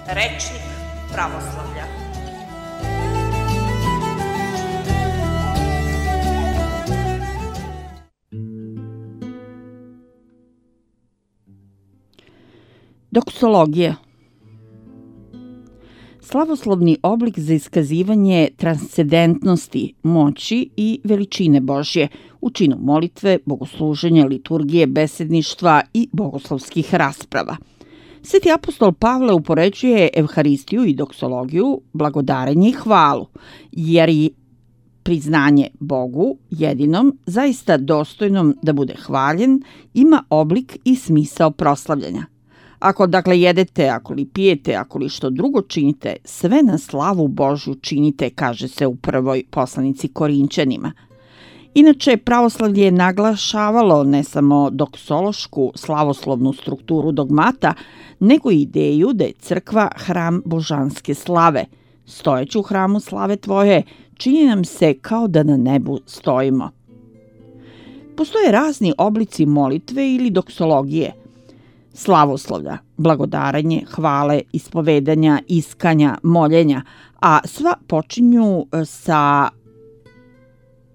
Rečnik pravoslavlja. Doksologija. Slavoslovni oblik za iskazivanje transcendentnosti, moći i veličine Božje u činu molitve, bogosluženja, liturgije, besedništva i bogoslovskih rasprava. Sveti apostol Pavle upoređuje evharistiju i doksologiju, blagodarenje i hvalu, jer je priznanje Bogu, jedinom, zaista dostojnom da bude hvaljen, ima oblik i smisao proslavljanja. Ako dakle jedete, ako li pijete, ako li što drugo činite, sve na slavu Božju činite, kaže se u prvoj poslanici Korinćanima. Inače, pravoslavlje je naglašavalo ne samo doksološku slavoslovnu strukturu dogmata, nego i ideju da je crkva hram božanske slave. Stojeći u hramu slave tvoje, čini nam se kao da na nebu stojimo. Postoje razni oblici molitve ili doksologije, slavoslovlja, blagodaranje, hvale, ispovedanja, iskanja, moljenja, a sva počinju sa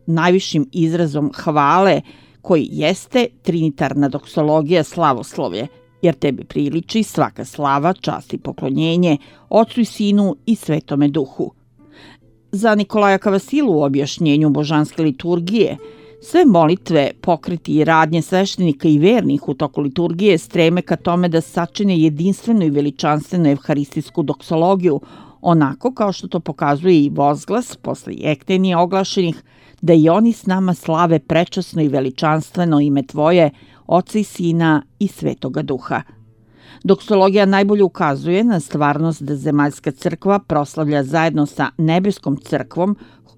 najvišim izrazom hvale koji jeste trinitarna doksologija slavoslovlje, jer tebi priliči svaka slava, čast i poklonjenje Otcu i Sinu i Svetome Duhu. Za Nikolaja Kavasilu u objašnjenju božanske liturgije, sve molitve, pokreti i radnje sveštenika i vernih u toku liturgije streme ka tome da sačine jedinstvenu i veličanstvenu evharistijsku doksologiju, onako kao što to pokazuje i vozglas posle jektenija oglašenih, da i oni s nama slave prečasno i veličanstveno ime Tvoje, Oca i Sina i Svetoga Duha. Doksologija najbolje ukazuje na stvarnost da zemaljska crkva proslavlja zajedno sa nebeskom crkvom.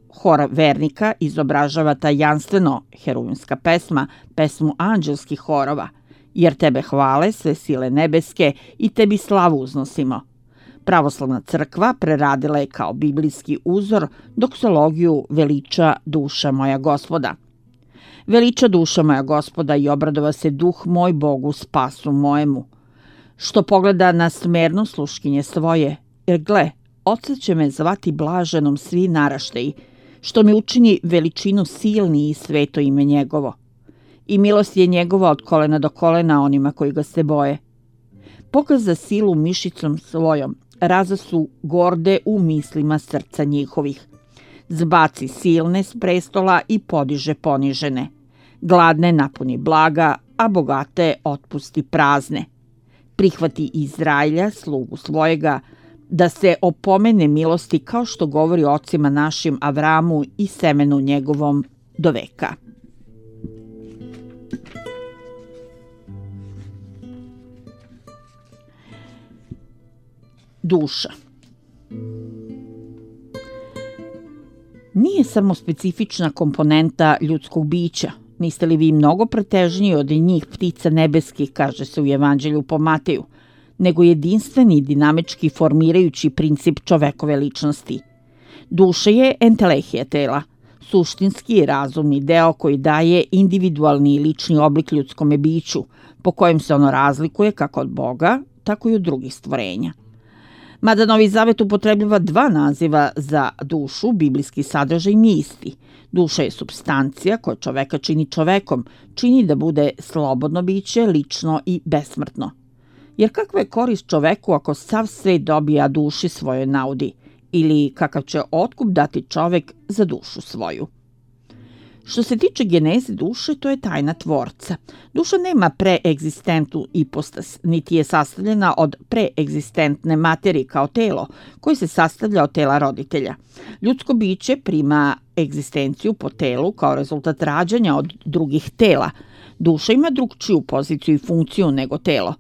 Hor vernika izobražava tajanstveno heruvimska pesma, pesmu anđelskih horova, jer tebe hvale sve sile nebeske i tebi slavu uznosimo. Pravoslavna crkva preradila je kao biblijski uzor doksologiju Veliča duša moja Gospoda. Veliča duša moja Gospoda i obradova se duh moj Bogu spasu mojemu, što pogleda na smerno sluškinje svoje, jer gle, oca će me zvati blaženom svi naraštaji, što mi učini veličinu silni i sveto ime njegovo. I milost je njegova od kolena do kolena onima koji ga se boje. Pokaza silu mišicom svojom, raza su gorde u mislima srca njihovih. Zbaci silne s prestola i podiže ponižene. Gladne napuni blaga, a bogate otpusti prazne. Prihvati Izrailja, slugu svojega, da se opomene milosti kao što govori ocima našim Avramu i semenu njegovom do veka. Duša. Nije samo specifična komponenta ljudskog bića. Niste li vi mnogo pretežniji od njih ptica nebeskih, kaže se u Evanđelju po Mateju, nego jedinstveni dinamički formirajući princip čovekove ličnosti. Duša je entelehija tela, suštinski i razumni deo koji daje individualni i lični oblik ljudskome biću, po kojem se ono razlikuje kako od Boga, tako i od drugih stvorenja. Mada Novi Zavet upotrebljava dva naziva za dušu, biblijski sadržaj nije isti. Duša je supstancija koja čoveka čini čovekom, čini da bude slobodno biće, lično i besmrtno. Jer kakva je korist čoveku ako sav svet dobija duši svojoj naudi, ili kakav će otkup dati čovek za dušu svoju? Što se tiče geneze duše, to je tajna tvorca. Duša nema preegzistentu ipostas, niti je sastavljena od preegzistentne materije kao telo, koje se sastavlja od tela roditelja. Ljudsko biće prima egzistenciju po telu kao rezultat rađanja od drugih tela. Duša ima drugčiju poziciju i funkciju nego telo.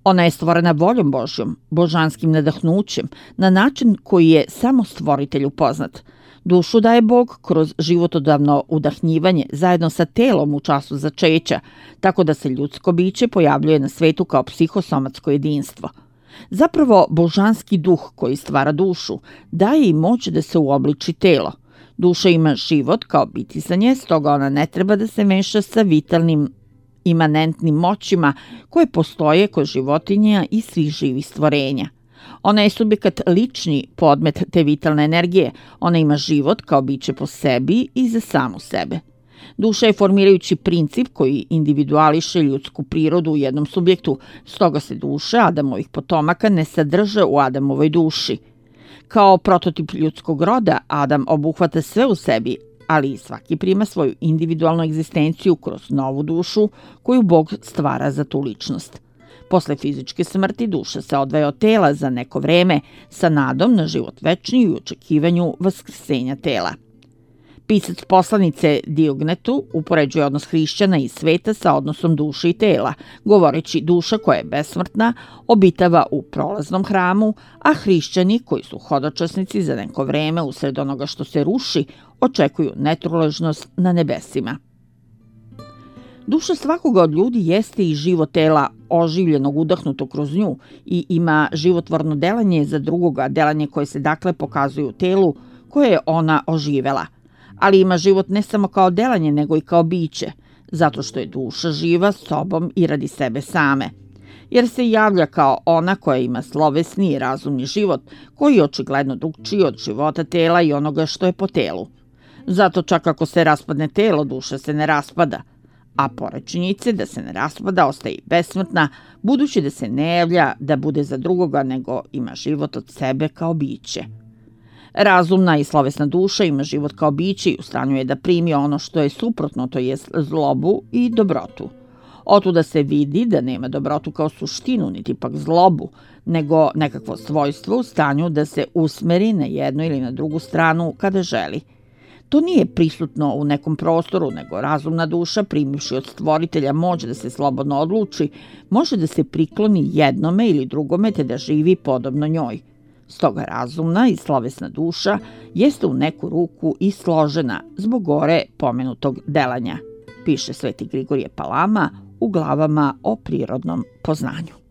Ona je stvorena voljom Božjom, božanskim nadahnućem, na način koji je samo stvoritelju poznat. Dušu daje Bog kroz životodavno udahnjivanje zajedno sa telom u času začeća, tako da se ljudsko biće pojavljuje na svetu kao psihosomatsko jedinstvo. Zapravo, božanski duh koji stvara dušu daje i moć da se uobliči telo. Duša ima život kao bitisanje, stoga ona ne treba da se meša sa vitalnim imanentnim moćima koje postoje kod životinja i svih živih stvorenja. Ona je subjekat lični podmet te vitalne energije. Ona ima život kao biće po sebi i za samu sebe. Duša je formirajući princip koji individuališe ljudsku prirodu u jednom subjektu, stoga se duše Adamovih potomaka ne sadrže u Adamovoj duši. Kao prototip ljudskog roda, Adam obuhvata sve u sebi, ali svaki prima svoju individualnu egzistenciju kroz novu dušu koju Bog stvara za tu ličnost. Posle fizičke smrti duša se odvaja od tela za neko vreme sa nadom na život večni i u očekivanju vaskrsenja tela. Pisac poslanice Diognetu upoređuje odnos hrišćana i sveta sa odnosom duše i tela, govoreći duša koja je besmrtna obitava u prolaznom hramu, a hrišćani koji su hodočasnici za neko vreme usred onoga što se ruši očekuju netruležnost na nebesima. Duša svakoga od ljudi jeste i život tela oživljenog udahnuto kroz nju i ima životvorno delanje za drugoga, delanje koje se dakle pokazuje u telu koje je ona oživela. Ali ima život ne samo kao delanje, nego i kao biće, zato što je duša živa sobom i radi sebe same. Jer se javlja kao ona koja ima slovesni i razumni život, koji je očigledno drugčiji od života tela i onoga što je po telu. Zato čak ako se raspadne telo, duša se ne raspada, a pored činjenice da se ne raspada, ostaje i besmrtna, budući da se ne javlja da bude za drugoga, nego ima život od sebe kao biće. Razumna i slovesna duša ima život kao biće i u stanju je da primi ono što je suprotno, to jest zlobu i dobrotu. Otuda se vidi da nema dobrotu kao suštinu, niti pak zlobu, nego nekakvo svojstvo u stanju da se usmeri na jednu ili na drugu stranu kada želi. To nije prisutno u nekom prostoru, nego razumna duša, primivši od stvoritelja moć da se slobodno odluči, može da se prikloni jednome ili drugome te da živi podobno njoj. Stoga razumna i slovesna duša jeste u neku ruku i složena zbog gore pomenutog delanja, piše Sveti Grigorije Palama u glavama o prirodnom poznanju.